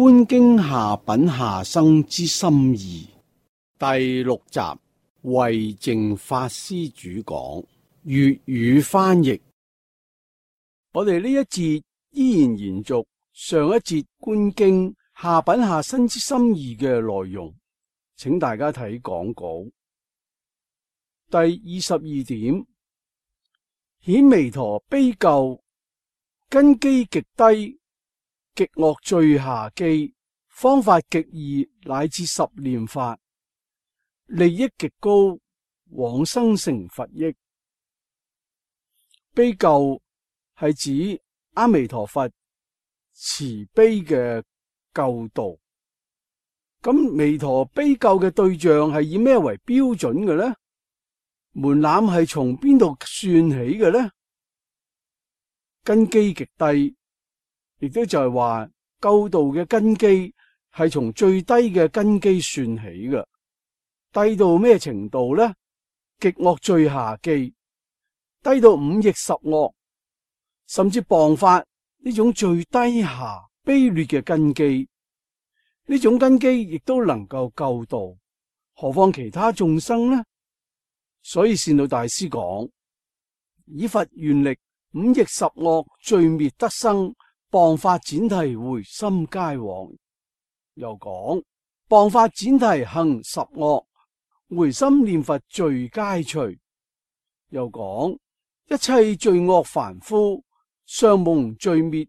觀經下品下生之心意第6集，慧淨法師主講，粵語翻譯。我哋呢一節依然延續上一節觀經下品下生之心意嘅內容，請大家睇講稿。第22點，顯彌陀悲救，根基極低，極惡最下機，方法極易，乃至十念法，利益極高，往生成佛益。悲救係指阿彌陀佛慈悲嘅救度。咁彌陀悲救嘅對象係以咩為標準嘅呢？門檻係從邊度算起嘅呢？根基極低，亦都就係話救度嘅根基係從最低嘅根基算起嘅。低到咩程度呢？極惡最下機，低到五逆十惡，甚至謗法呢種最低下卑劣嘅根基，呢種根基亦都能夠救度，何況其他眾生呢？所以善導大師講，以佛願力，五逆十惡罪滅得生，謗法闡提回心皆往。又講謗法闡提行十惡，回心念佛罪皆除。又講一切罪惡凡夫，尚蒙罪滅，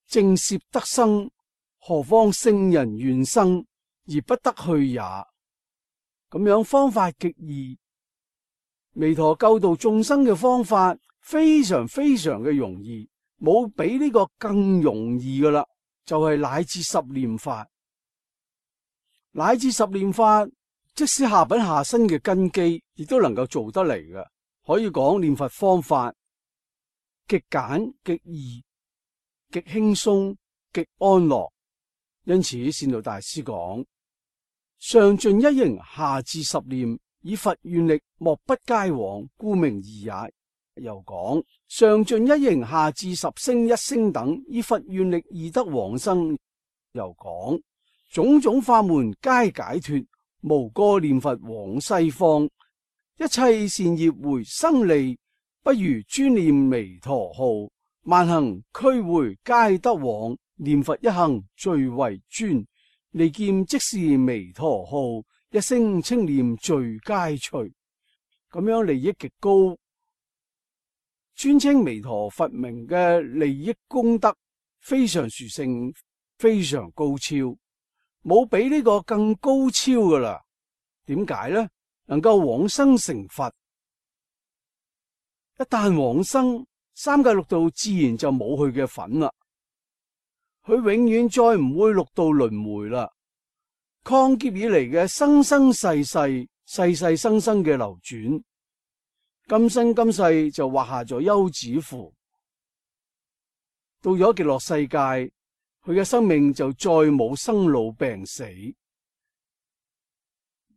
正攝得生，何況聖人願生而不得去也。咁樣方法極易，彌陀救度眾生嘅方法非常非常嘅容易，冇比呢個更容易噶啦，就係乃至十念法。乃至十念法，即使下品下生嘅根基，亦都能夠做得嚟嘅。可以講念佛方法極簡、極易、極輕鬆、極安樂。因此善導大師講，上盡一形，下至十念，以佛願力，莫不皆往，故名易也。又講上盡一形，下至十聲一聲等，以佛願力易得往生。又講種種法門皆解脫，無過念佛往西方，一切善業回生利，不如專念彌陀號，萬行俱回皆得往，念佛一行最為尊，利劍即是彌陀號，一聲稱念罪皆除。咁樣利益極高，尊稱彌陀佛名嘅利益功德非常殊勝，非常高超，冇比呢個更高超噶啦。點解呢？能夠往生成佛，一旦往生，三界六道自然就冇佢嘅份啦。佢永遠再唔會六道輪迴啦。曠劫以嚟嘅生生世世、世世生生嘅流轉，今生今世就畫下咗休止符。到咗極樂世界，佢嘅生命就再冇生老病死，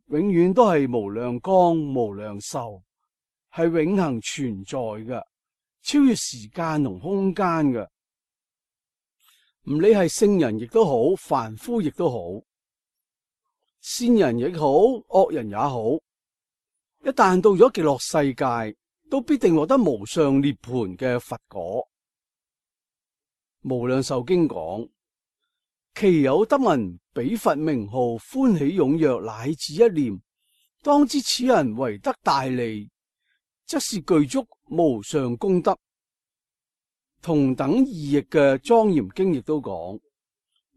永遠都係無量光無量壽，係永恆存在嘅，超越時間同空間嘅。唔理係聖人亦都好，凡夫亦都好，善人亦好，惡人也好，一旦到咗極樂世界，都必定獲得無上涅槃嘅佛果。無量壽經講，其有得聞彼佛名號，歡喜踴躍，乃至一念，當知此人為得大利，則是具足無上功德。同等異譯嘅莊嚴經亦都講，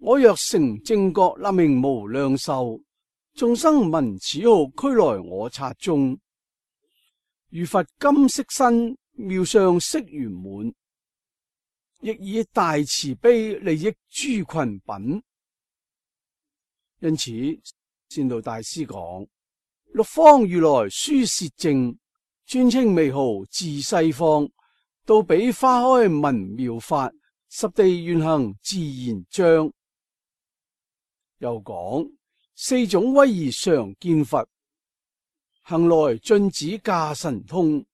我若成正覺，立名無量壽，眾生聞此號，俱來我剎中，如佛金色身，妙相色圓滿，亦以大慈悲利益諸群品。因此善導大師講，六方如來書攝證，尊稱彌號自西方，到彼花開聞妙法，十地願行自然彰。又講四種威儀常見佛，行來進止駕神通，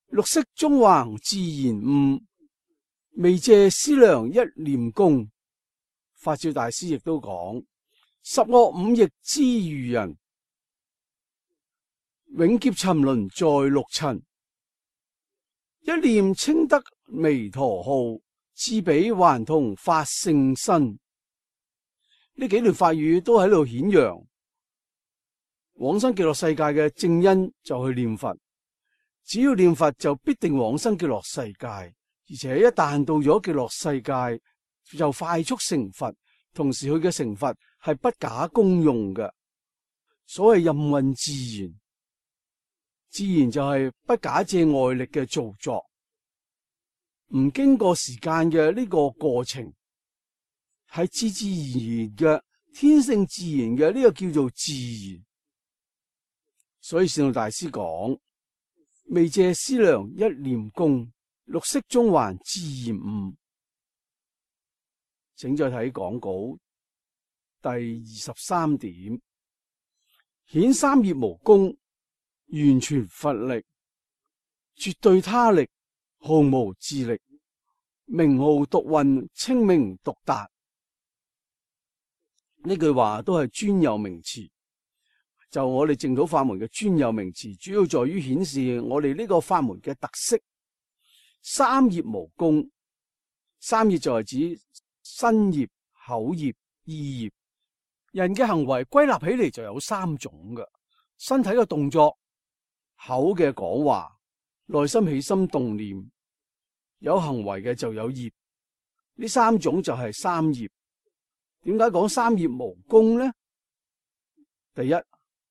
六色縱橫自然悟，未借思量一念功，法照大師亦都講：十惡五逆之愚人，永劫沉淪在六塵。一念稱得彌陀號，智彼還同發聖身。呢幾段法語都喺度顯揚往生極樂世界嘅正因，就去念佛。只要念佛就必定往生極樂世界，而且一旦到咗極樂世界就快速成佛。同時佢嘅成佛係不假功用嘅，所謂任運自然，自然就係不假借外力嘅造作，唔經過時間嘅呢個過程，係自自然然嘅天性自然嘅，呢個叫做自然。所以善導大師講：未借思量一念功，六識中還自然悟。請再睇講稿第23點，顯三業無功，完全佛力，絕對他力，毫無自力，名號獨運，稱名獨達。呢句話都係專有名詞，就我哋淨土法門嘅專有名詞，主要在於顯示我哋呢個法門嘅特色。三業無功，三業就係指身業、口業、意業。人嘅行為歸納起嚟就有三種嘅：身體嘅動作、口嘅講話、內心起心動念。有行為嘅就有業，呢三種就係三業。點解講三業無功呢？第一，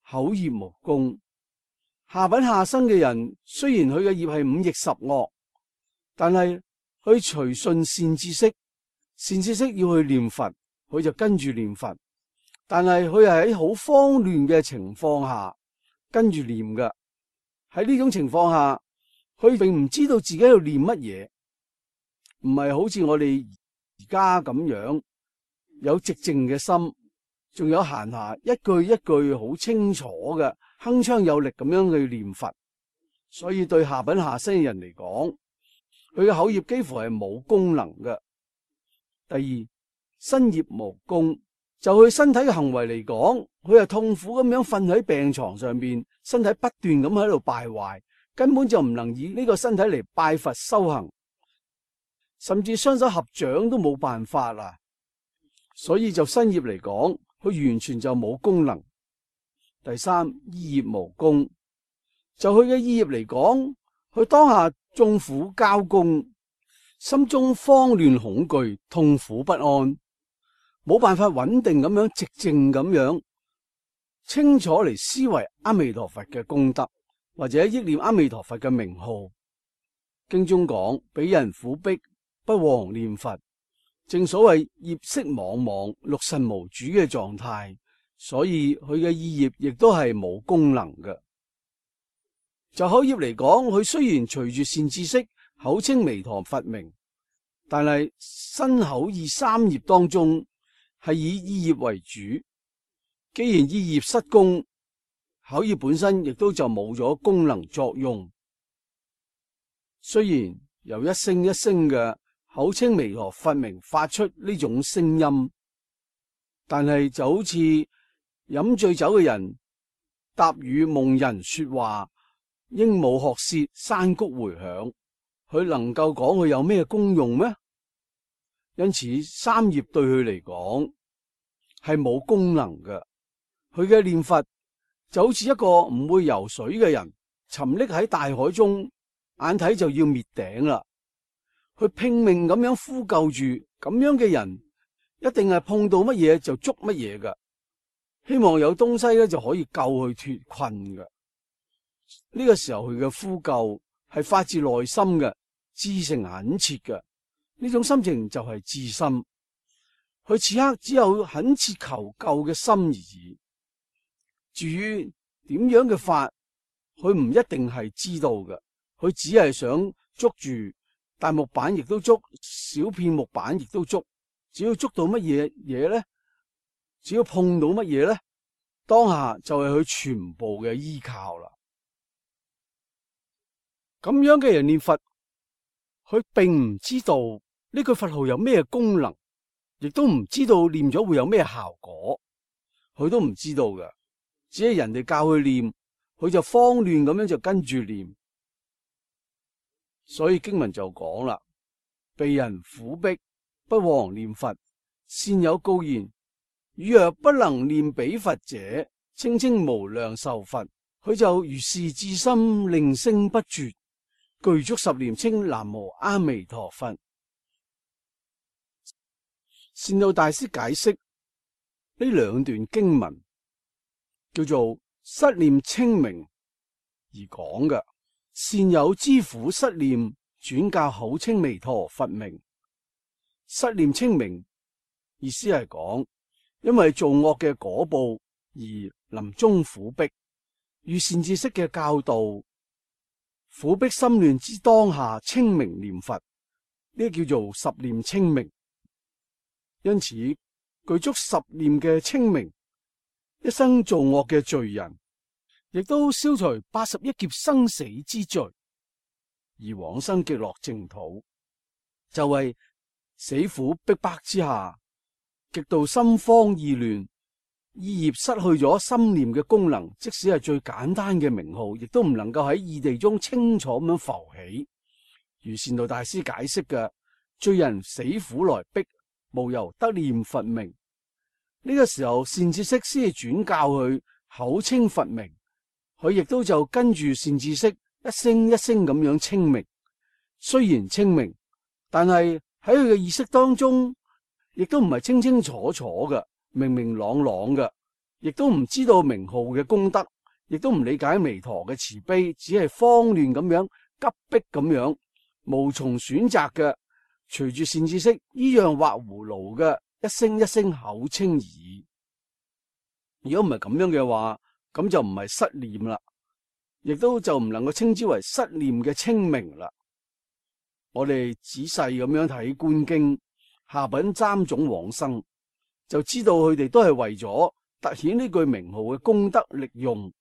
口業無功。下品下生嘅人，雖然佢嘅業係五逆十惡，但係佢隨順善知識，善知識要去念佛，佢就跟住念佛。但係佢係喺好慌亂嘅情況下跟住念嘅。喺呢種情況下，佢並唔知道自己喺度念乜嘢，唔係好似我哋而家咁樣有寂靜嘅心，仲有閒暇一句一句好清楚嘅鏗鏘有力咁樣去念佛。所以對下品下生嘅人嚟講，佢嘅口業幾乎係冇功能嘅。第二，身業無功，就佢身體嘅行為嚟講，佢係痛苦咁樣瞓喺病床上邊，身體不斷咁喺度敗壞，根本就唔能以呢個身體嚟拜佛修行，甚至雙手合掌都冇辦法啦。所以就身業嚟講，佢完全就冇功能。第三，意業無功，就佢嘅意業嚟講，佢當下眾苦交攻，心中慌亂恐懼，痛苦不安，冇辦法穩定咁樣寂靜咁樣清楚嚟思維阿彌陀佛嘅功德，或者憶念阿彌陀佛嘅名號。經中講，彼人苦逼，不遑念佛。正所謂業色茫茫，六神無主嘅狀態，所以佢嘅意業亦都係冇功能嘅。就口業嚟講，佢雖然隨住善知識口稱彌陀佛名，但係身口意三業當中係以意業為主。既然意業失功，口業本身亦都就冇咗功能作用。雖然由一聲一聲嘅口稱彌陀佛名發出呢種聲音，但係就好似飲醉酒嘅人答與夢人說話，鸚鵡學舌，山谷回響，佢能夠講佢有咩功用咩？因此三業對佢嚟講係冇功能嘅。佢嘅念佛就好似一個唔會游水嘅人沉溺喺大海中，眼睇就要滅頂啦，佢拼命咁樣呼救住。咁樣嘅人一定係碰到乜嘢就捉乜嘢噶，希望有東西咧就可以救佢脫困噶。呢個時候佢嘅呼救係發自內心嘅，至誠懇切嘅，呢種心情就係至心。佢此刻只有懇切求救嘅心而已。至於點樣嘅法，佢唔一定係知道嘅，佢只係想捉住大木板，亦都捉小片木板，亦都捉。只要捉到乜嘢嘢咧，只要碰到乜嘢咧，當下就係佢全部嘅依靠啦。咁樣嘅人念佛，佢並唔知道呢句佛號有咩功能，亦都唔知道念咗會有咩效果，佢都唔知道嘅，只係人哋教佢念，佢就慌亂咁樣就跟住念。所以經文就講啦，被人苦逼，不遑念佛，善有告言：汝若不能念彼佛者，稱稱無量壽佛。佢就如是至心，令聲不絕，具足十念，稱南無阿彌陀佛。善導大師解釋呢兩段經文，叫做失念清明而講嘅。善有知苦失念，轉教口稱彌陀佛名。失念清明意思係講，因為做惡嘅果報而臨終苦逼，遇善知識嘅教導，苦逼心亂之當下清明念佛，呢叫做十念清明。因此具足十念嘅清明，一生做惡嘅罪人，亦都消除81劫生死之罪，而往生極樂淨土。就為死苦逼迫之下，極度心慌意亂，意業失去咗心念嘅功能，即使係最簡單嘅名號，亦都唔能夠喺意地中清楚咁樣浮起。如善導大師解釋嘅，罪人死苦來逼，無由得念佛名。呢個時候善知識先至轉教佢口稱佛名，佢亦都就跟住善知識一聲一聲咁樣清明。雖然清明，但係喺佢嘅意識當中，亦都唔係清清楚楚嘅，明明朗朗嘅，亦都唔知道名號嘅功德，亦都唔理解彌陀嘅慈悲，只係慌亂咁樣急迫咁樣，無從選擇嘅，隨住善知識依樣畫葫蘆嘅一聲一聲口稱而已。如果唔係咁樣嘅話，咁就唔係失念啦，亦都就唔能夠稱之為失念嘅清明啦。我哋仔細咁樣睇觀經下品三種往生，就知道佢哋都係為咗凸顯呢句名號嘅功德力用，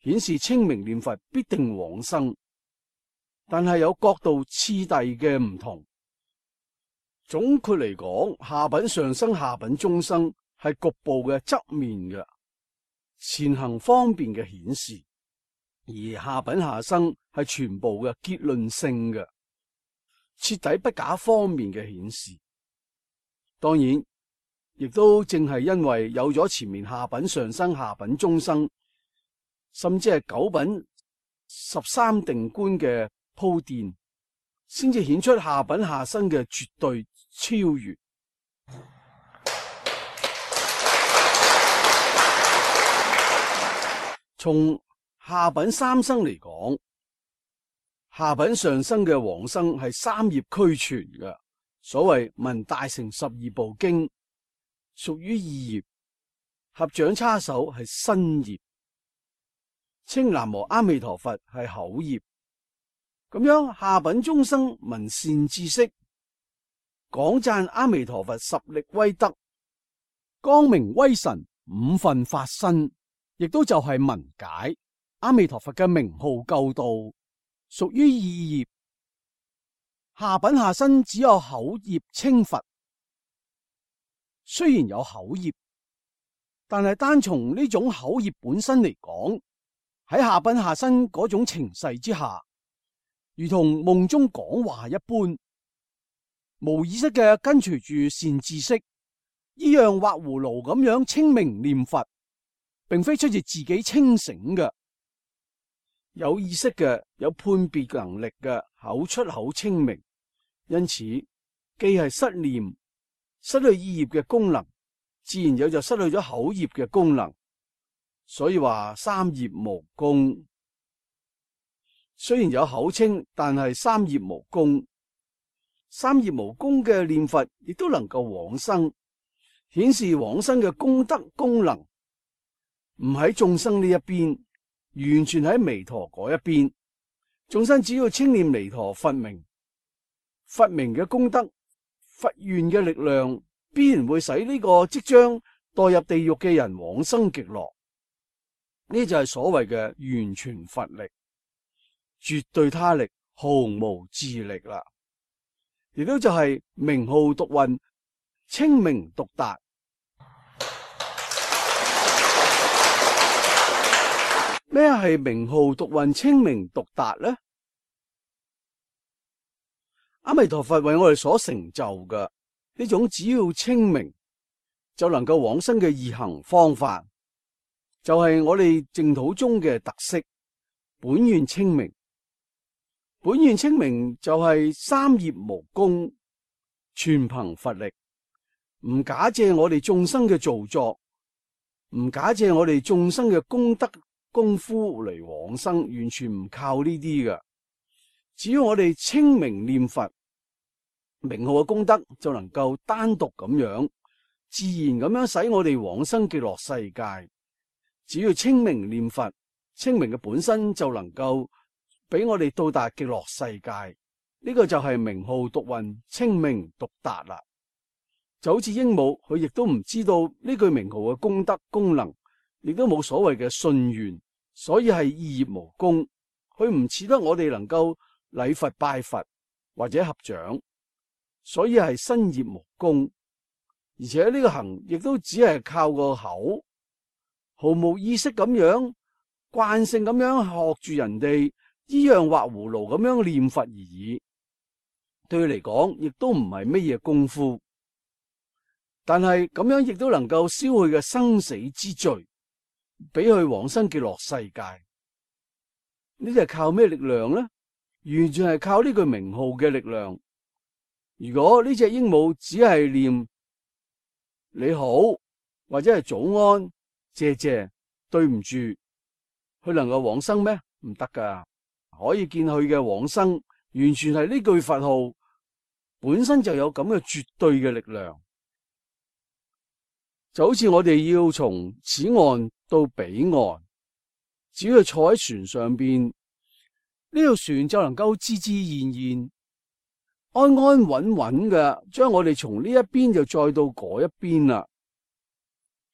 顯示清明念佛必定往生，但係有角度次第嘅唔同。總括嚟講，下品上生、下品中生係局部嘅側面嘅前行方便嘅顯示，而下品下生係全部嘅結論性嘅徹底不假方面嘅顯示。當然，亦都正係因為有咗前面下品上生、下品中生，甚至係九品13定觀嘅鋪墊，先至顯出下品下生嘅絕對超越。從下品三生嚟講，下品上生嘅往生係三業俱全嘅。所謂聞大乘12部經，屬於意業；合掌叉手係身業；稱南無阿彌陀佛係口業。咁樣下品中生聞善知識，講讚阿彌陀佛十力威德，光明威神五分法身，亦都就係聞解阿彌陀佛嘅名號救度，屬於意業。下品下生只有口業稱佛，雖然有口業，但係單從呢種口業本身嚟講，喺下品下生嗰種情勢之下，如同夢中講話一般，無意識嘅跟隨住善知識，依樣畫葫蘆咁樣清明念佛，並非出自自己清醒嘅。有意識嘅、有判別能力嘅口出口清明，因此既係失念、失去意業嘅功能，自然有就失去咗口業嘅功能。所以話三業無功，雖然有口稱，但係三業無功。三業無功嘅念佛，亦都能夠往生，顯示往生嘅功德功能唔喺眾生呢一邊，完全喺彌陀嗰一邊。眾生只要稱念彌陀佛名，佛名嘅功德、佛願嘅力量，必然會使呢個即將墮入地獄嘅人往生極樂。呢就係所謂嘅完全佛力，絕對他力，毫無自力啦。亦都就係名號獨運，清明獨達。咩係名號獨運清明獨達呢？阿彌陀佛為我哋所成就嘅呢種，只要清明就能夠往生嘅易行方法，就係我哋淨土宗嘅特色。本願清明，本願清明就係三業無功，全憑佛力，唔假借我哋眾生嘅造作，唔假借我哋眾生嘅功德功夫嚟往生，完全唔靠呢啲嘅。只要我哋清明念佛，名號嘅功德就能夠單獨咁樣自然咁樣使我哋往生極樂世界。只要清明念佛，清明嘅本身就能夠俾我哋到達極樂世界。呢個就係名號獨運清明獨達啦。就好似鸚鵡，佢亦都唔知道呢句名號嘅功德功能，亦都冇所謂嘅信願，所以係意業無功。佢唔似得我哋能夠禮佛拜佛或者合掌，所以係身業無功。而且呢個行亦都只係靠個口，毫無意識咁樣慣性咁樣學住人哋依樣畫葫蘆咁樣念佛而已。對佢嚟講，亦都唔係乜嘢功夫，但係咁樣亦都能夠消佢嘅生死之罪，俾佢往生極樂世界。呢啲係靠咩力量呢？完全係靠呢句名號嘅力量。如果呢隻鸚鵡只係念你好或者係早安、謝謝、對唔住，佢能夠往生咩？唔得噶。可以見佢嘅往生完全係呢句佛號本身就有咁嘅絕對嘅力量。就好似我哋要從此岸到彼岸，只要坐喺船上邊，呢條船就能夠自自然然、安安穩穩嘅將我哋從呢一邊就載到嗰一邊啦。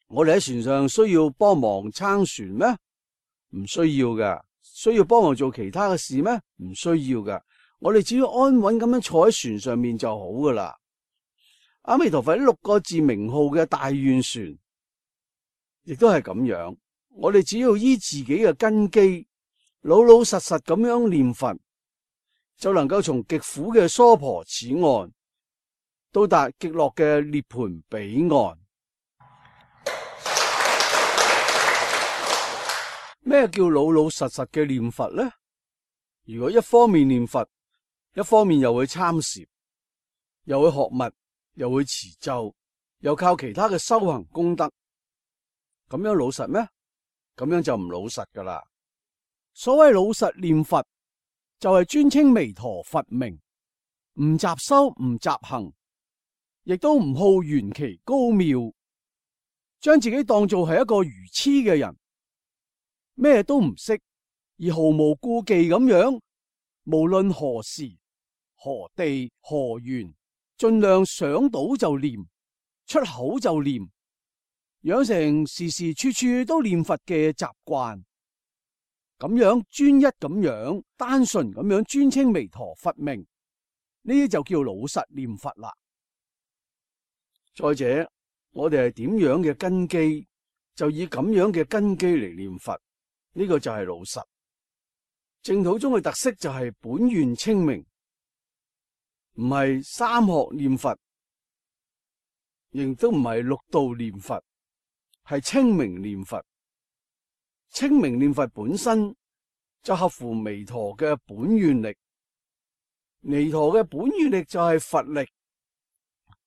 我哋喺船上需要幫忙撐船咩？唔需要噶。需要幫忙做其他嘅事咩？唔需要噶。我哋只要安穩咁樣坐喺船上面就好噶啦。阿彌陀佛呢6個字名號嘅大願船，亦都係咁樣。我哋只要依自己嘅根基，老老實實咁樣念佛，就能夠從極苦嘅娑婆此岸，到達極樂嘅涅槃彼岸。咩叫老老實實嘅念佛呢？如果一方面念佛，一方面又會參禪，又會學密，又會持咒，又靠其他嘅修行功德，咁樣老實咩？咁樣就唔老實噶啦。所謂老實念佛，就係尊稱彌陀佛名，唔雜修，唔雜行，亦都唔好玄奇高妙，將自己當做係一個愚痴嘅人，咩都唔識，而毫無顧忌咁樣，無論何時何地何緣，盡量想到就念，出口就念，養成時時處處都念佛嘅習慣。咁樣專一咁樣單純咁樣尊稱彌陀佛名，呢啲就叫老實念佛啦。再者，我哋係點樣嘅根基，就以咁樣嘅根基嚟念佛，呢個就係老實。淨土宗嘅特色就係本願清明，唔係三學念佛，亦都唔係六道念佛，係清明念佛。清明念佛本身就合乎彌陀嘅本願力，彌陀嘅本願力就係佛力，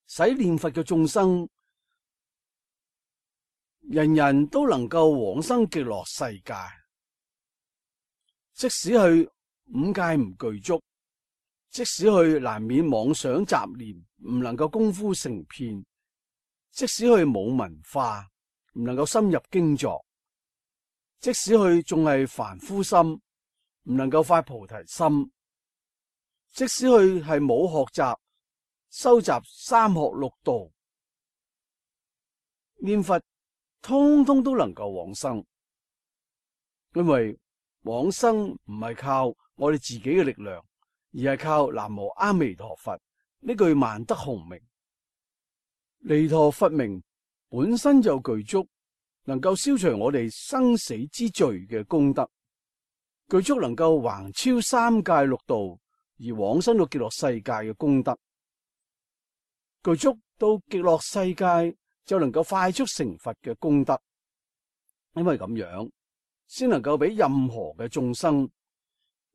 使念佛嘅眾生人人都能夠往生極樂世界。即使去五戒唔具足，即使去難免妄想雜念，唔能夠功夫成片，即使去冇文化，唔能夠深入經座，即使佢仲係凡夫心，唔能夠發菩提心，即使佢係冇學習收集三學六道，念佛通通都能夠往生。因為往生唔係靠我哋自己嘅力量，而係靠南無阿彌陀佛呢句萬德洪名。彌陀佛名本身就具足能夠消除我哋生死之罪嘅功德，具足能夠橫超三界六道而往生到極樂世界嘅功德，具足到極樂世界就能夠快速成佛嘅功德。因為咁樣先能夠俾任何嘅眾生、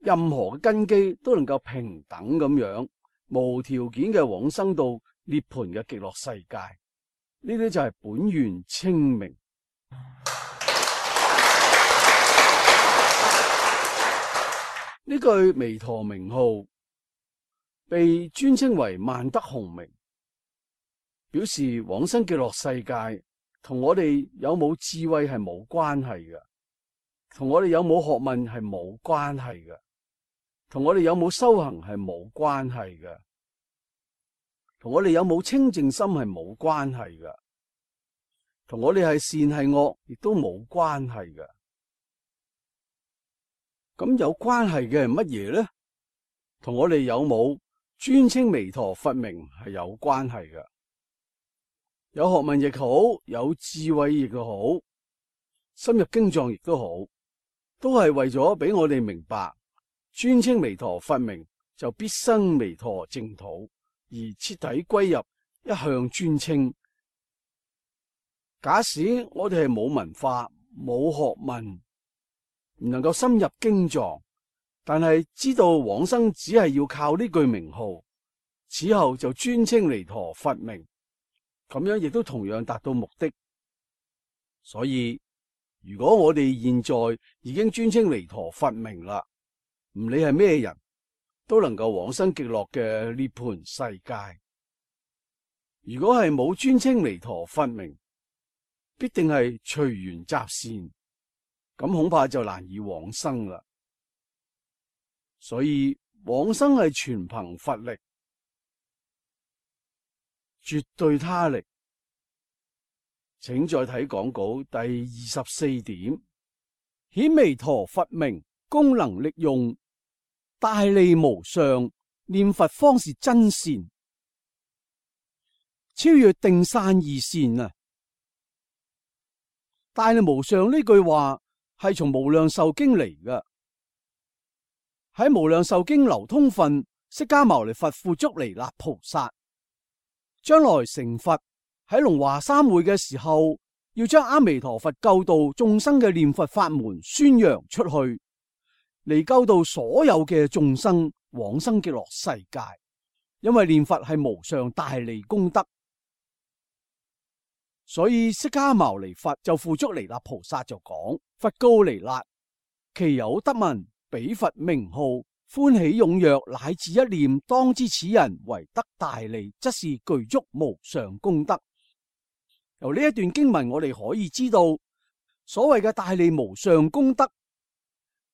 任何嘅根基都能夠平等咁樣無條件嘅往生到涅槃嘅極樂世界。呢啲就係本願稱名。呢句彌陀名號被尊稱為萬德洪名，表示往生極樂世界同我哋有冇智慧係冇關係嘅，同我哋有冇學問係冇關係嘅，同我哋有冇修行係冇關係嘅，同我哋有冇清淨心係冇關係嘅，同我哋係善係惡亦都冇關係嘅。咁有關係嘅係乜嘢咧？同我哋有冇尊稱彌陀佛名係有關係嘅。有學問亦好，有智慧亦好，深入經藏亦都好，都係為咗俾我哋明白，尊稱彌陀佛名就必生彌陀淨土，而徹底歸入一向尊稱。假使我哋係冇文化、冇學問，唔能夠深入經藏，但係知道往生只係要靠呢句名號，此後就尊稱彌陀佛名，咁樣亦都同樣達到目的。所以如果我哋現在已經尊稱彌陀佛名啦，唔理係咩人都能夠往生極樂嘅涅槃世界。如果係冇尊稱彌陀佛名，必定係隨緣集善，咁恐怕就難以往生啦。所以往生係全憑佛力，絕對他力。請再睇講稿第24點，顯彌陀佛名功能力用，大利無上，念佛方是真善，超越定散二善啊！大利無上呢句話係從無量壽經嚟嘅。喺無量壽經流通分，釋迦牟尼佛付囑彌勒菩薩將來成佛，喺龍華三會嘅時候，要將阿彌陀佛救度眾生嘅念佛法門宣揚出去，嚟救度所有嘅眾生往生極樂世界。因為念佛係無上大利功德，所以釋迦牟尼佛就付囑彌勒菩薩就講：佛告彌勒，其有得聞彼佛名號，歡喜踴躍，乃至一念，當知此人為得大利，則是具足無上功德。由呢一段經文，我哋可以知道，所謂嘅大利無上功德，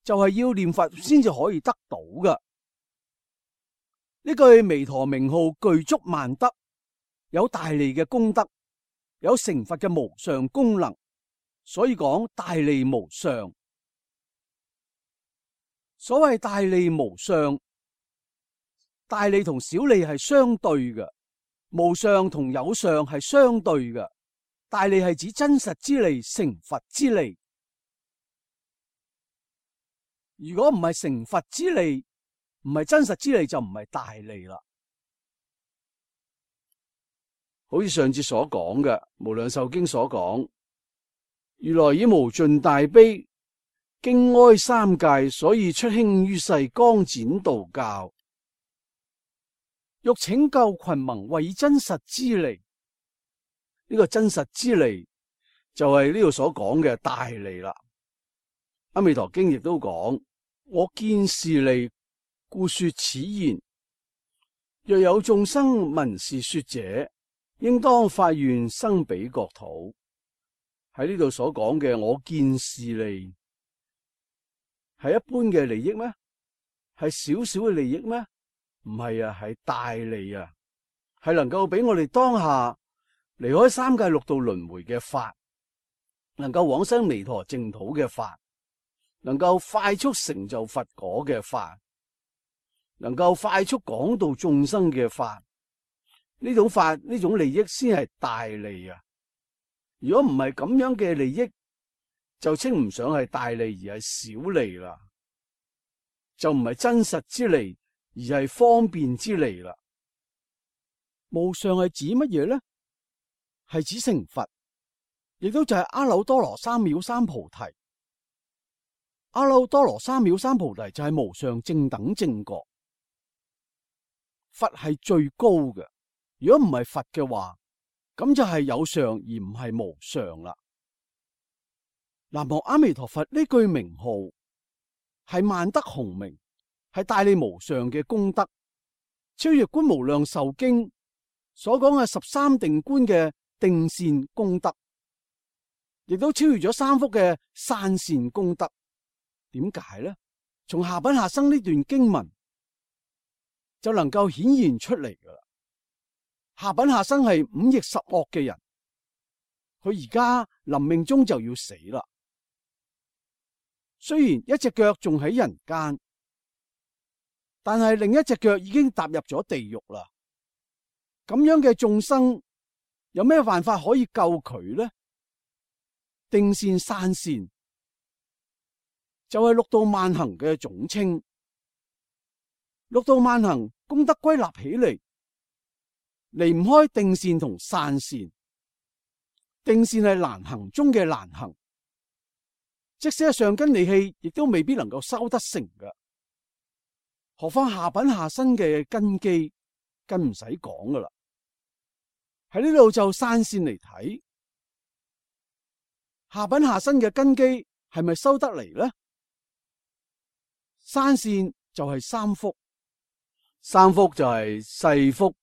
就係要念佛先至可以得到嘅。呢句彌陀名號具足萬德，有大利嘅功德，有成佛嘅無上功能，所以講大利無上。所謂大利無上，大利同小利係相對嘅，無上同有上係相對嘅。大利係指真實之利，成佛之利。如果唔係成佛之利，唔係真實之利，就唔係大利啦。好似上次所講嘅《無量壽經》所講，如來以無盡大悲，經哀三界，所以出興於世，光展道教，欲拯救群萌，為以真實之利。呢個真實之利就係呢度所講嘅大利啦。阿彌陀經亦都講：我見是利，故說此言。若有眾生聞是說者，應當發願生彼國土。喺呢度所講嘅我見是利，係一般嘅利益咩？係少少嘅利益咩？唔係啊，係大利啊，係能夠俾我哋當下離開三界六道輪迴嘅法，能夠往生彌陀淨土嘅法，能夠快速成就佛果嘅法，能夠快速講度眾生嘅法，呢種法呢種利益先係大利啊！如果唔係咁樣嘅利益，就稱唔上係大利，而係小利啦。就唔係真實之利，而係方便之利啦。無上係指乜嘢呢？係指成佛，亦都就係阿耨多羅三藐三菩提。阿耨多羅三藐三菩提就係無上正等正覺。佛係最高嘅，如果唔係佛嘅話，咁就係有上而唔係無上啦。南無阿彌陀佛呢句名號係萬德洪名，係大利無上嘅功德，超越觀無量壽經所講嘅13定觀嘅定善功德，亦都超越咗三福嘅散善功德。點解呢？從下品下生呢段經文就能夠顯現出嚟噶啦。下品下生係五逆十惡嘅人，佢而家臨命終就要死啦。雖然一隻腳仲喺人間，但係另一隻腳已經踏入咗地獄啦。咁樣嘅眾生有咩辦法可以救佢呢？定善散善就係六度萬行嘅總稱。六度萬行功德歸納起嚟，離唔開定善同散善。定善係難行中嘅難行，即使係上根利器，亦都未必能夠修得成嘅。何況下品下生嘅根基，更唔使講噶啦。喺呢度就散善嚟睇，下品下生嘅根基係咪修得嚟呢？散善就係三福，三福就係世福、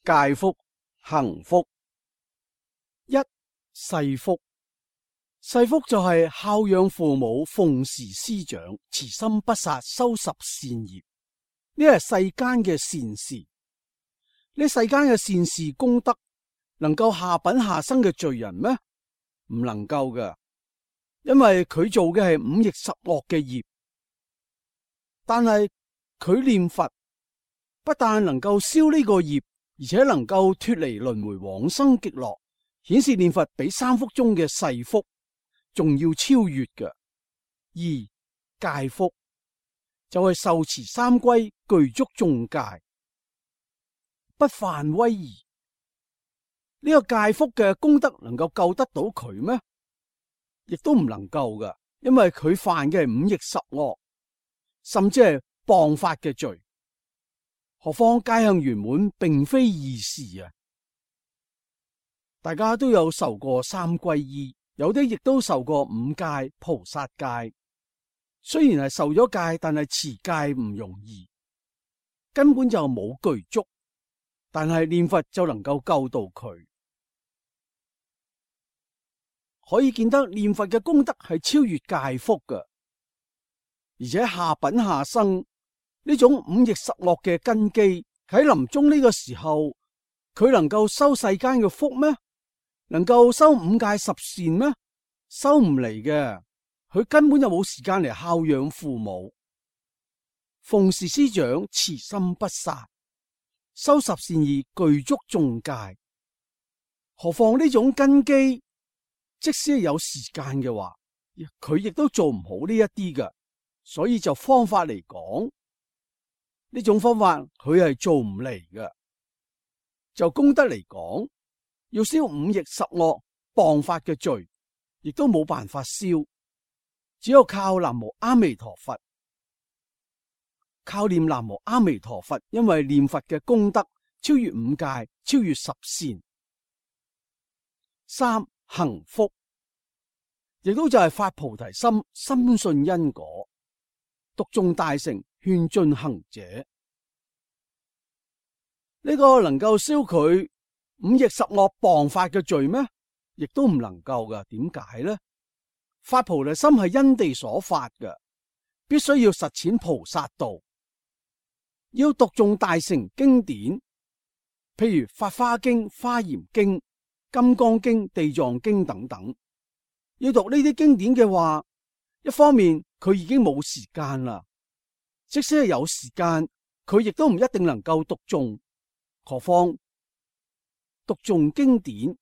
戒福、行福。一、世福，世福就係孝養父母、奉事師長、慈心不殺、修十善業，呢係世間嘅善事。呢世間嘅善事功德能夠下品下生嘅罪人咩？唔能夠㗎，因為佢做嘅係五逆十惡嘅業。但係佢念佛，不但能夠消呢個業，而且能夠脫離輪迴往生極樂，顯示念佛比三福中嘅世福仲要超越嘅。二、戒福就係受持三歸，具足眾戒，不犯威儀。呢個戒福嘅功德能夠救得到佢咩？亦都唔能夠噶，因為佢犯嘅係五逆十惡，甚至係謗法嘅罪。何況戒行圓滿並非易事啊！大家都有受過三皈依，有啲亦都受過五戒、菩薩戒。雖然係受咗戒，但係持戒唔容易，根本就冇具足。但係念佛就能夠救到佢。可以見得念佛嘅功德係超越戒福嘅，而且下品下生呢種五逆十惡嘅根基喺臨終呢個時候，佢能夠修世間嘅福咩？能夠修五戒十善咩？修唔嚟嘅，佢根本就冇時間嚟孝養父母、奉事師長、慈心不殺、修十善義、具足眾戒。何況呢種根基，即使係有時間嘅話，佢亦都做唔好呢一啲嘅。所以就方法嚟講，呢種方法佢係做唔嚟嘅。就功德嚟講，要消五逆十惡謗法嘅罪，亦都冇辦法消，只有靠南無阿彌陀佛，靠念南無阿彌陀佛，因為念佛嘅功德超越五戒，超越十善。三、行福，亦都就係發菩提心，深信因果，讀誦大乘，勸進行者。呢個能夠消佢五逆十惡謗法嘅罪咩？亦都唔能夠噶。點解呢？發菩提心係因地所發嘅，必須要實踐菩薩道，要讀誦大乘經典，譬如《法華經》、《華嚴經》、《金剛經》、《地藏經》等等。要讀呢啲經典嘅話，一方面佢已經冇時間啦，即使係有時間，佢亦都唔一定能夠讀誦。何況讀誦經典，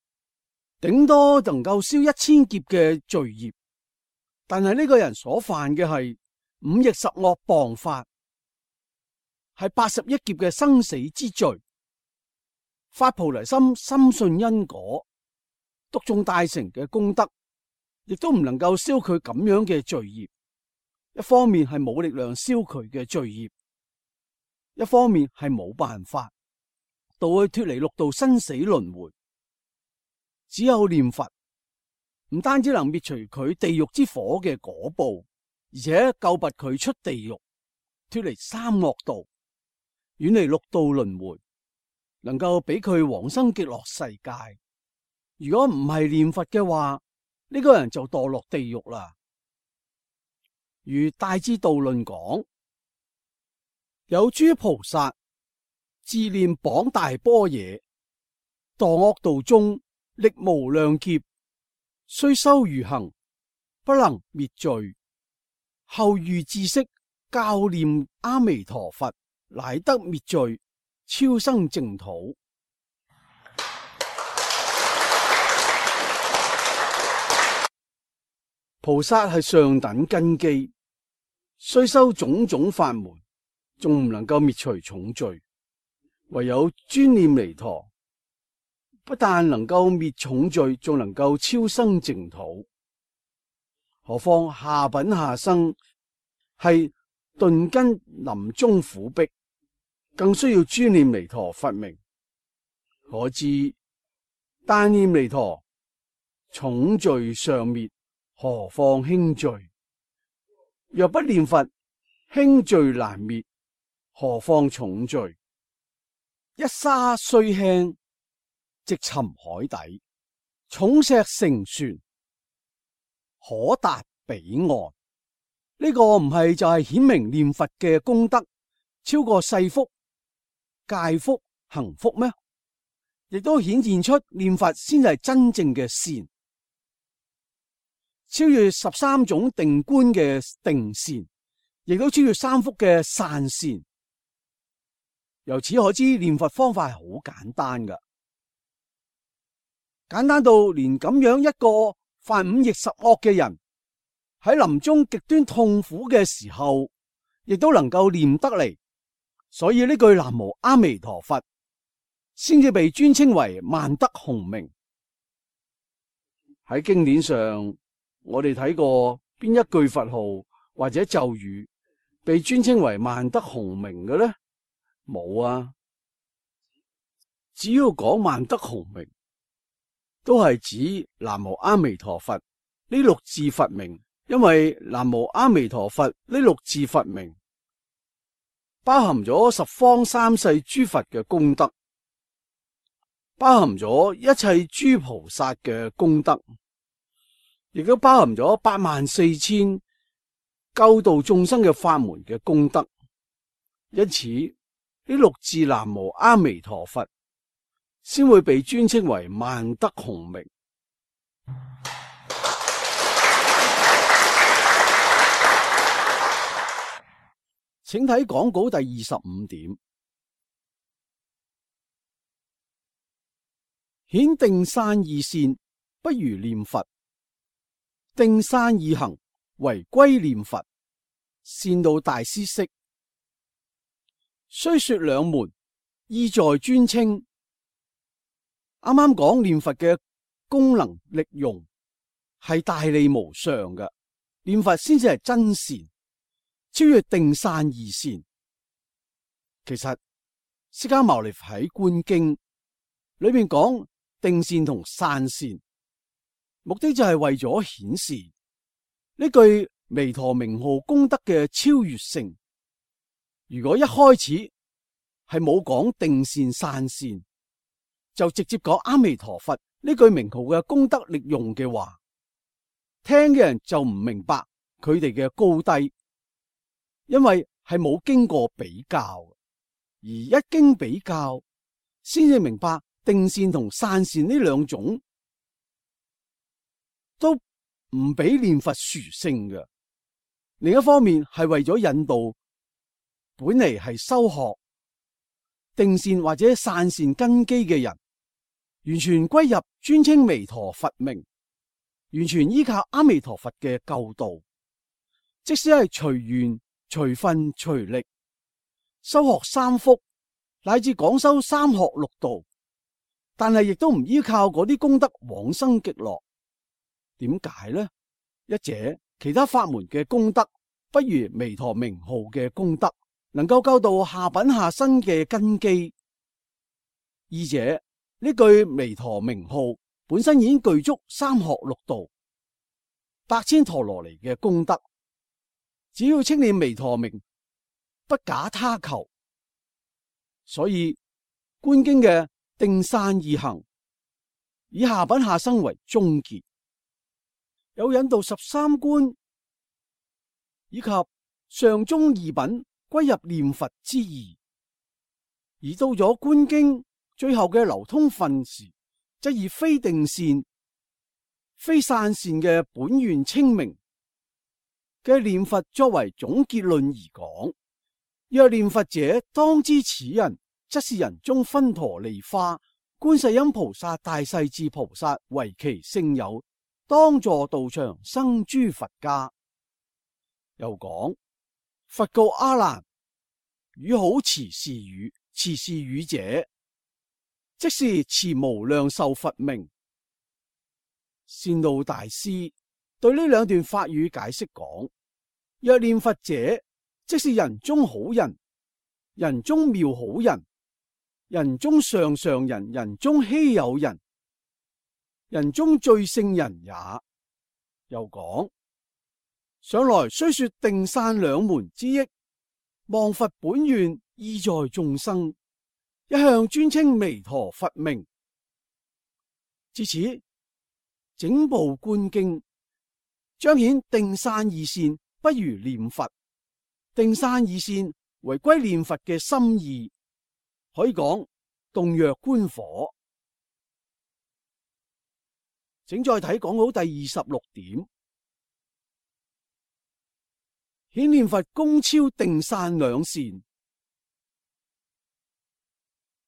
頂多能夠消1000劫嘅罪孽，但係呢個人所犯嘅係5逆十惡謗法，係81劫嘅生死之罪。發菩提心，深信因果，讀誦大乘嘅功德，亦都唔能夠消佢咁樣嘅罪孽。一方面係冇力量消佢嘅罪孽，一方面係冇辦法導佢脫離六道生死輪迴。只有念佛，唔單止能滅除佢地獄之火嘅果報，而且救拔佢出地獄，脫離三惡道，遠離六道輪迴，能夠俾佢往生極樂世界。如果唔係念佛嘅話，呢個人就墮落地獄啦。如《大智度論》講，有諸菩薩自念綁大般若，墮惡道中歷無量劫，雖修如行，不能滅罪。後遇知識，教念阿彌陀佛，乃得滅罪，超生淨土。菩薩係上等根基，雖修種種法門，仲唔能夠滅除重罪。唯有專念彌陀，不但能夠滅重罪，仲能夠超生淨土。何況下品下生係頓根臨終苦逼，更需要專念彌陀佛名。可知單念彌陀，重罪尚滅，何況輕罪？若不念佛，輕罪難滅，何況重罪？一沙雖輕，直沉海底；重石成船，可達彼岸。呢個唔係就係顯明念佛嘅功德超過世福、戒福、行福咩？亦都顯現出念佛先係真正嘅善，超越13種定觀嘅定善，亦都超越三福嘅散善。由此可知，念佛方法係好簡單噶，簡單到連咁樣一個犯5逆十惡嘅人，喺臨終極端痛苦嘅時候，亦都能夠念得嚟。所以呢句南無阿彌陀佛，先至被尊稱為萬德洪名。喺經典上，我哋睇過邊一句佛號或者咒語被尊稱為萬德洪名嘅呢？冇啊！只要講萬德洪名，都係指南無阿彌陀佛呢6字佛名。因為南無阿彌陀佛呢6字佛名包含咗十方三世諸佛嘅功德，包含咗一切諸菩薩嘅功德，亦都包含咗84000救度眾生嘅法門嘅功德。因此呢6字南無阿彌陀佛先會被尊稱為萬德洪名。請睇講稿第25點，顯定散二善，不如念佛；定散二行，唯歸念佛。善導大師釋。雖說兩門，意在尊稱。啱啱講念佛嘅功能力用係大利無上嘅，念佛先至係真善，超越定散二善。其實釋迦牟尼佛喺觀經裏面講定善同散善，目的就係為咗顯示呢句彌陀名號功德嘅超越性。如果一開始係冇講定善散善，就直接講阿彌陀佛呢句名號嘅功德力用嘅話，聽嘅人就唔明白佢哋嘅高低。因為係冇經過比較，而一經比較，先至明白定善同散善呢兩種都唔比念佛殊勝嘅。另一方面係為咗引導本嚟係修學定善或者散善根基嘅人，完全歸入尊稱彌陀佛名，完全依靠阿彌陀佛嘅救度，即使係隨緣隨分隨力修學三福，乃至廣修三學六道，但係亦都唔依靠嗰啲功德往生極樂。點解呢？一者其他法門嘅功德不如彌陀名號嘅功德能夠救度下品下生嘅根基；二者呢句彌陀名號本身已經具足三學六道、百千陀羅尼嘅功德，只要稱念彌陀名，不假他求。所以觀經嘅定散二行，以下品下生為終結，有引導13觀以及上中二品歸入念佛之意。而到咗觀經最後嘅流通分時，則以非定善、非散善嘅本願清明嘅念佛作為總結論而講。若念佛者，當知此人則是人中分陀利花觀世音菩薩大勢至菩薩為其聖友，當坐道場生諸佛家。又講佛告阿難：汝好持是語，持是語者，即是持無量壽佛名。善導大師對呢兩段法語解釋講：若念佛者，即是人中好人，人中妙好人，人中上上人，人中稀有人，人中最聖人也。又講上來雖說定散兩門之益，望佛本願意在眾生，一向專稱彌陀佛名。至此，整部觀經彰顯定散二善不如念佛，定散二善為歸念佛嘅心意，可以講洞若觀火。請再睇講好第26點，顯念佛功超定散兩善，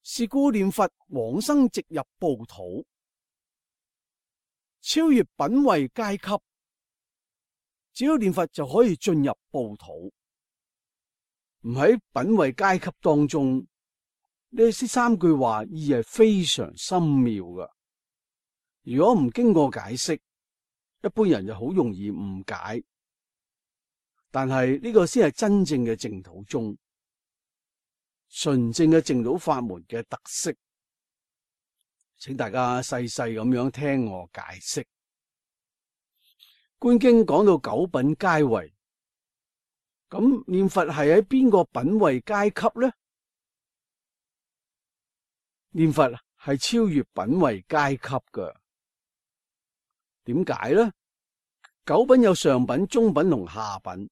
是故念佛往生直入報土，超越品位階級。只要念佛就可以進入報土，唔喺品位階級當中。呢三句話意係非常深妙㗎。如果唔經過解釋，一般人就好容易誤解。但係呢個先係真正嘅淨土宗，純正嘅淨土法門嘅特色。請大家細細咁樣聽我解釋。觀經講到九品階位，咁念佛係喺邊個品位階級呢？念佛係超越品位階級㗎。點解呢？九品有上品、中品同下品。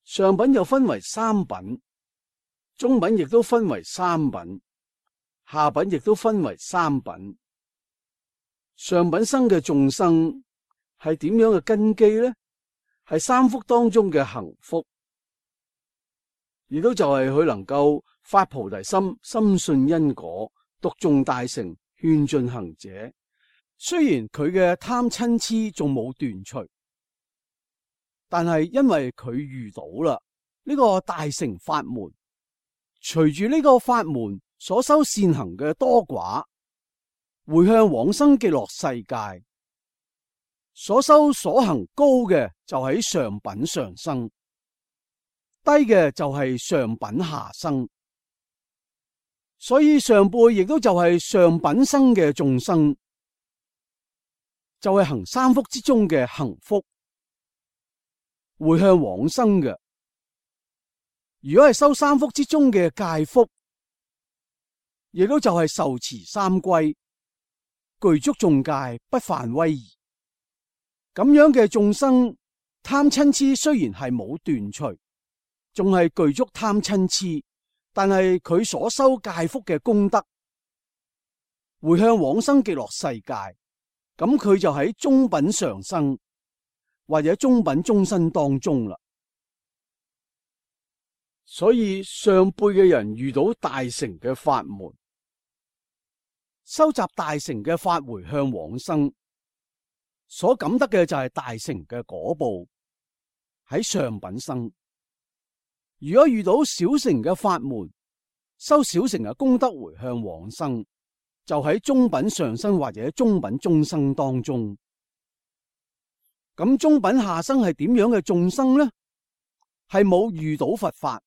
上品又分為三品，中品亦都分為三品，下品亦都分為三品。上品生嘅眾生係點樣嘅根基呢？係三福當中嘅行福。亦都就係佢能夠發菩提心，深信因果，讀誦大乘，勸進行者。雖然佢嘅貪嗔癡仲冇斷除，但係因為佢遇到啦呢個大乘法門，隨住呢個法門所修善行嘅多寡，回向往生極樂世界，所修所行高嘅就喺上品上生，低嘅就係上品下生。所以上輩亦都就係上品生嘅眾生，就係行三福之中嘅行福，回向往生嘅。如果係修三福之中嘅戒福，亦都就係受持三歸，具足眾戒，不犯威儀。咁樣嘅眾生，貪嗔癡雖然係冇斷除，仲係具足貪嗔癡，但係佢所修戒福嘅功德，回向往生極樂世界，咁佢就喺中品上生或者中品中生當中啦。所以上輩嘅人遇到大乘嘅法門，收集大乘嘅法回向往生，所感得嘅就係大乘嘅果報喺上品生。如果遇到小乘嘅法門，收小乘嘅功德回向往生，就喺中品上生或者中品中生當中。咁中品下生係點樣嘅眾生呢？係冇遇到佛法，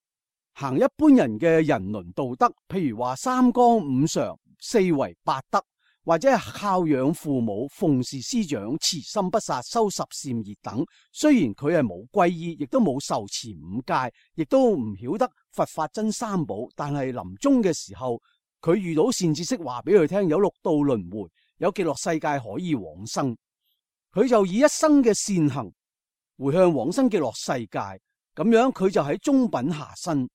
行一般人嘅人倫道德，譬如話三綱五常、四維八德，或者係孝養父母、奉事師長、慈心不殺、修十善業等。雖然佢係冇皈依，亦都冇受持五戒，亦都唔曉得佛法真三寶，但係臨終嘅時候，佢遇到善知識話俾佢聽，有六道輪迴，有極樂世界可以往生，佢就以一生嘅善行回向往生極樂世界。咁樣佢就喺中品下生。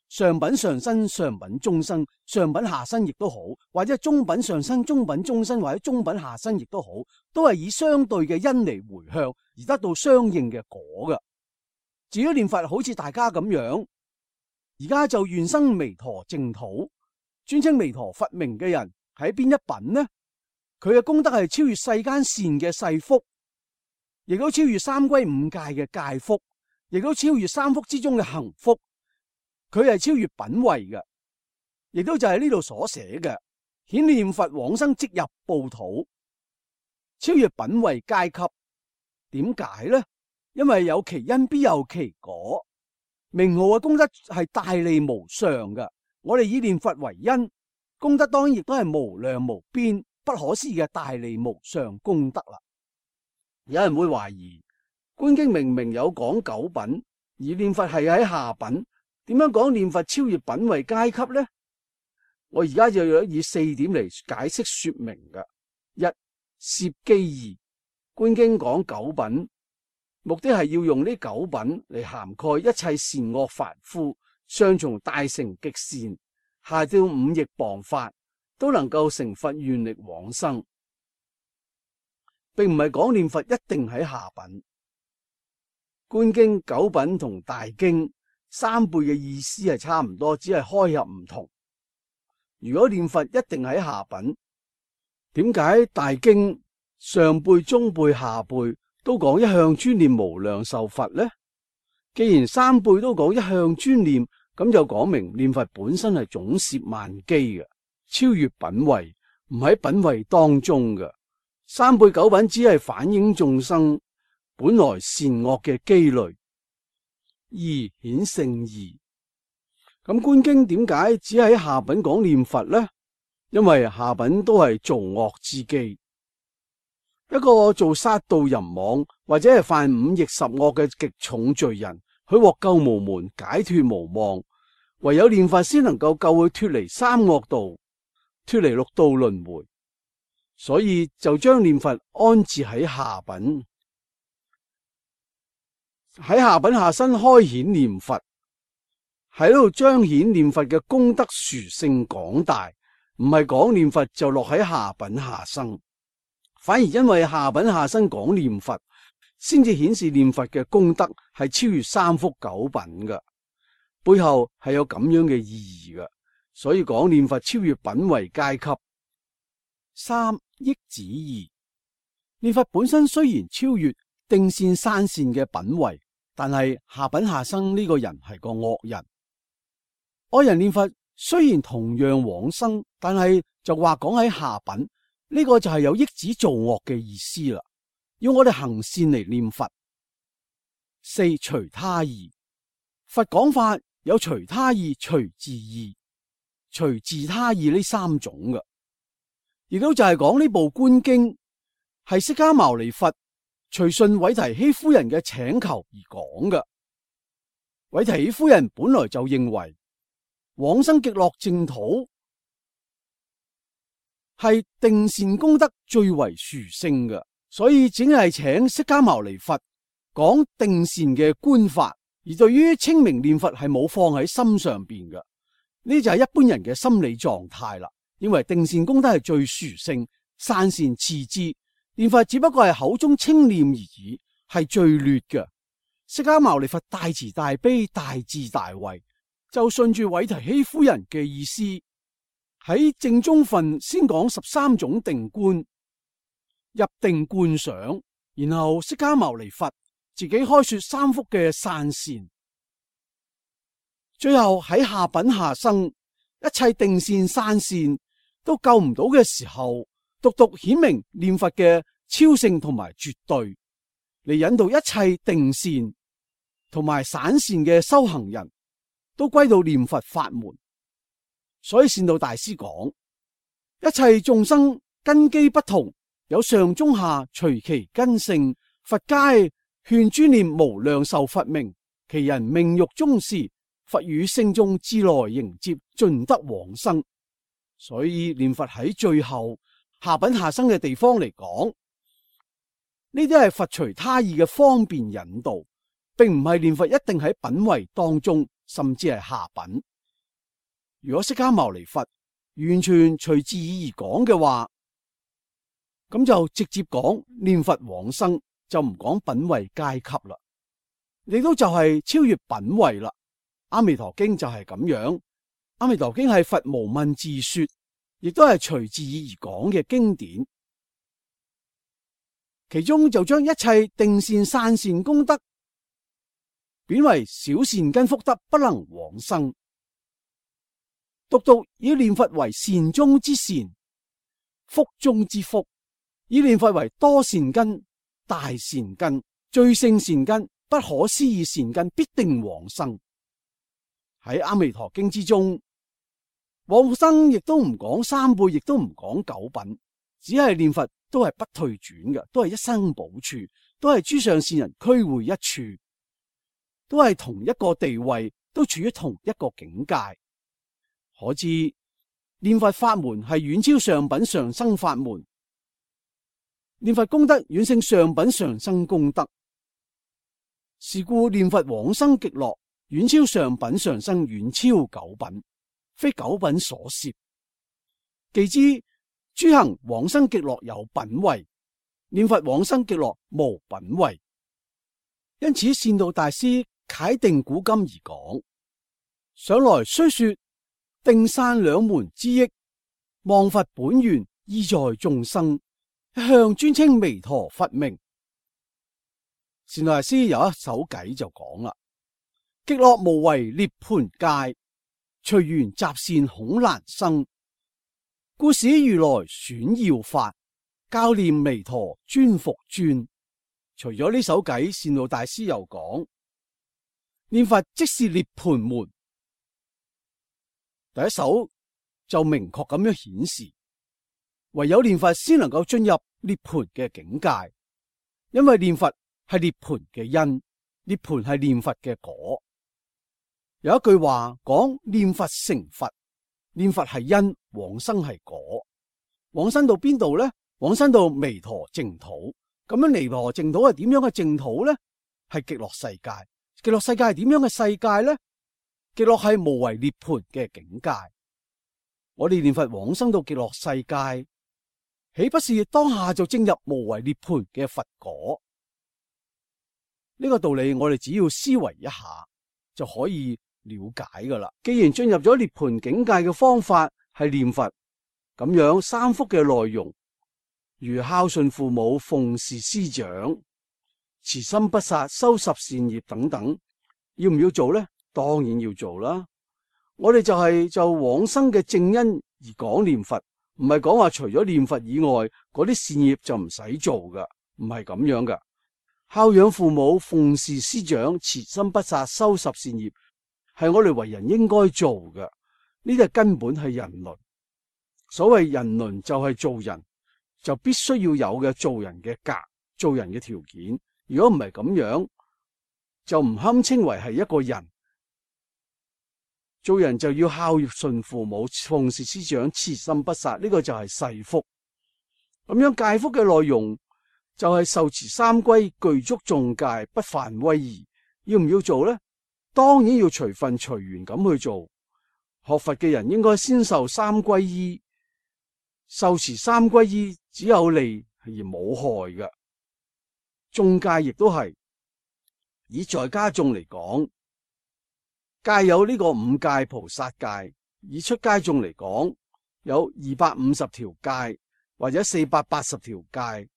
上品上生、上品中生、上品下生亦都好，或者中品上生、中品中生或者中品下生亦都好，都係以相對嘅因嚟回向而得到相應嘅果㗎。至於念佛，好似大家咁樣，而家就願生彌陀淨土，尊稱彌陀佛名嘅人喺邊一品呢？佢嘅功德係超越世間善嘅世福，亦都超越三歸五戒嘅戒福，亦都超越三福之中嘅行福。佢係超越品位嘅，亦都就係呢度所寫嘅，顯念佛往生即入報土，超越品位階級。點解呢？因為有其因必有其果，名號嘅功德係大利無上嘅。我哋以念佛為因，功德當然亦都係無量無邊、不可思議嘅大利無上功德啦。有人會懷疑，觀經明明有講九品，而念佛係喺下品。點樣講念佛超越品位階級呢？我而家就要以四點嚟解釋說明嘅。一、攝機義，觀經講九品，目的係要用呢九品嚟涵蓋一切善惡凡夫，上從大乘極善，下到五逆謗法，都能夠成佛願力往生，並唔係講念佛一定喺下品。觀經九品同大經三輩嘅意思係差唔多，只係開合唔同。如果念佛一定喺下品，點解大經上輩、中輩、下輩都講一向專念無量壽佛呢？既然三輩都講一向專念，咁就講明念佛本身係總攝萬機嘅，超越品位，唔喺品位當中嘅。三輩九品只係反映眾生本來善惡嘅機類。二、顯聖義。咁觀經點解只喺下品講念佛呢？因為下品都係造惡之機。一個做殺盜淫妄或者係犯五逆十惡嘅極重罪人，佢獲救無門，解脫無望，唯有念佛先能夠救佢脫離三惡道，脫離六道輪迴。所以就將念佛安置喺下品。喺下品下生開顯念佛，喺度彰顯念佛嘅功德殊勝廣大，唔係講念佛就落喺下品下生，反而因為下品下生講念佛，先至顯示念佛嘅功德係超越三福九品嘅，背後係有咁樣嘅意義嘅，所以講念佛超越品位階級。三、益子義。念佛本身雖然超越定善散善嘅品位，但係下品下生呢個人係個惡人。惡人念佛雖然同樣往生，但係就話講喺下品，呢個就係有益子造惡嘅意思啦。要我哋行善嚟念佛。四、隨他義。佛講法有隨他義、隨自義、隨自他義呢三種嘅，亦都就係講呢部觀經係釋迦牟尼佛隨順韋提希夫人嘅請求而講嘅。韋提希夫人本來就認為往生極樂淨土係定善功德最為殊勝嘅，所以只係請釋迦牟尼佛講定善嘅觀法，而對於清明念佛係冇放喺心上邊嘅。呢就係一般人嘅心理狀態啦，認為定善功德係最殊勝，散善次之，念佛只不過係口中清念而已，係最劣嘅。釋迦牟尼佛大慈大悲大智大慧，就順住韋提希夫人嘅意思，喺正宗分先講13種定觀，入定觀想，然後釋迦牟尼佛自己開說3幅嘅散善，最後喺下品下生一切定善散善都救唔到嘅時候，獨獨顯明念佛嘅超勝同埋絕對，嚟引導一切定善同埋散善嘅修行人都歸到念佛法門。所以善導大師講，一切眾生根基不同，有上中下，隨其根性，佛皆勸諸念無量壽佛名，其人命欲終時，佛與聖眾自來迎接，盡得往生。所以念佛喺最後下品下生嘅地方嚟講，呢啲係佛隨他意嘅方便引導，並唔係念佛一定喺品位當中，甚至係下品。如果釋迦牟尼佛完全隨自意而講嘅話，咁就直接講念佛往生，就唔講品位階級啦。亦都就係超越品位啦。阿彌陀經就係咁樣，阿彌陀經係佛無問自說，亦都係隨自意而講嘅經典。其中就將一切定善散善功德貶為小善根福德，不能往生。獨獨以念佛為善中之善，福中之福，以念佛為多善根、大善根、最勝善根、不可思議善根，必定往生。喺阿彌陀經之中，往生亦都唔講3輩，亦都唔講9品，只係念佛都係不退轉嘅，都係一生補處，都係諸上善人俱會一處，都係同一個地位，都處於同一個境界。可知念佛法門係遠超上品上生法門，念佛功德遠勝上品上生功德，是故念佛往生極樂遠超上品上生，遠超9品，非9品所攝。既知諸行往生極樂有品位，念佛往生極樂無品位。因此善導大師楷定古今而講，上來雖說定散兩門之益，望佛本願意在眾生，一向專稱彌陀佛名。善導大師有一首偈就講啦：極樂無為涅槃界，隨緣集善恐難生，故使如來選要法，教念彌陀專復專。除咗呢首偈，善導大師又講，念佛即是涅槃門。第一首就明確咁樣顯示，唯有念佛先能夠進入涅槃嘅境界，因為念佛係涅槃嘅因，涅槃係念佛嘅果。有一句話講，念佛成佛，念佛係因，往生係果。往生到邊度呢？往生到彌陀淨土。咁樣彌陀淨土係點樣嘅淨土呢？係極樂世界。極樂世界係點樣嘅世界呢？極樂係無為涅槃嘅境界。我哋念佛往生到極樂世界，豈不是當下就證入無為涅槃嘅佛果？呢個道理我哋只要思維一下就可以了解噶啦。既然進入咗涅槃境界嘅方法係念佛，咁樣3幅嘅內容，如孝順父母、奉事師長、慈心不殺、修十善業等等，要唔要做呢？當然要做啦。我哋就往生嘅正因而講念佛，唔係講話除咗念佛以外嗰啲善業就唔使做噶，唔係咁樣噶。孝養父母、奉事師長、慈心不殺、修十善業，係我哋為人應該做噶。呢啲根本係人倫。所謂人倫就係做人，就必須要有嘅做人嘅格、做人嘅條件。如果唔係咁樣，就唔堪稱為係一個人。做人就要孝順父母、奉事師長、慈心不殺，呢個就係世福。咁樣戒福嘅內容就係受持三歸，具足眾戒，不犯威儀。要唔要做呢？當然要隨分隨緣咁去做。學佛嘅人應該先受三歸依，受持三歸依只有利而冇害嘅。眾戒亦都係，以在家眾嚟講，戒有呢個五戒菩薩戒；以出家眾嚟講，有250條戒或者480條戒。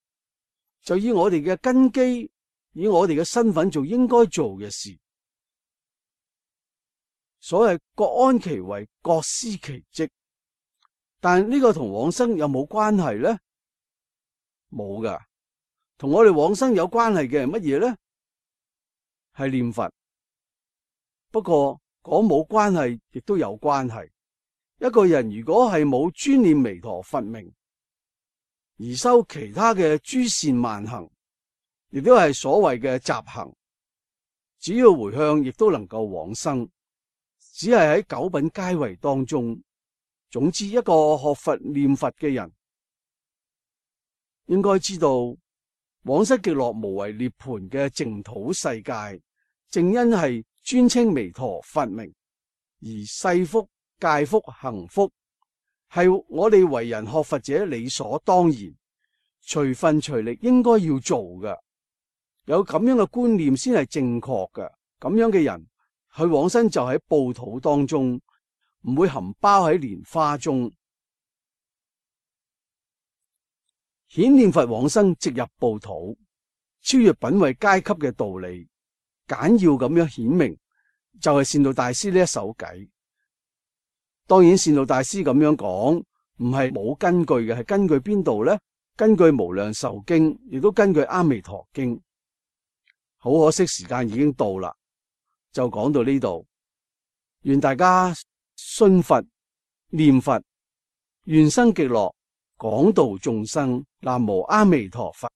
就以我哋嘅根基，以我哋嘅身份做應該做嘅事。所謂各安其位，各司其職。但呢個同往生有冇關係呢？冇噶。同我哋往生有關係嘅係乜嘢呢？係念佛。不過講冇關係，亦都有關係。一個人如果係冇專念彌陀佛名，而修其他嘅諸善萬行，亦都係所謂嘅雜行，只要回向，亦都能夠往生。只係喺九品階位當中。總之，一個學佛念佛嘅人，應該知道往生極樂無為涅槃嘅淨土世界，正因係專稱彌陀佛名，而世福、戒福、行福係我哋為人學佛者理所當然、隨分隨力應該要做嘅。有咁樣嘅觀念先係正確嘅。咁樣嘅人去往生就喺報土當中，唔會含包喺蓮花中。顯念佛往生直入報土，超越品位階級嘅道理，簡要咁樣顯明，就係善導大師呢一首偈。當然，善導大師咁樣講唔係冇根據嘅，係根據邊度呢？根據無量壽經，亦都根據阿彌陀經。好可惜，時間已經到啦，就講到呢度。願大家信佛念佛，願生極樂，廣度眾生。南無阿彌陀佛。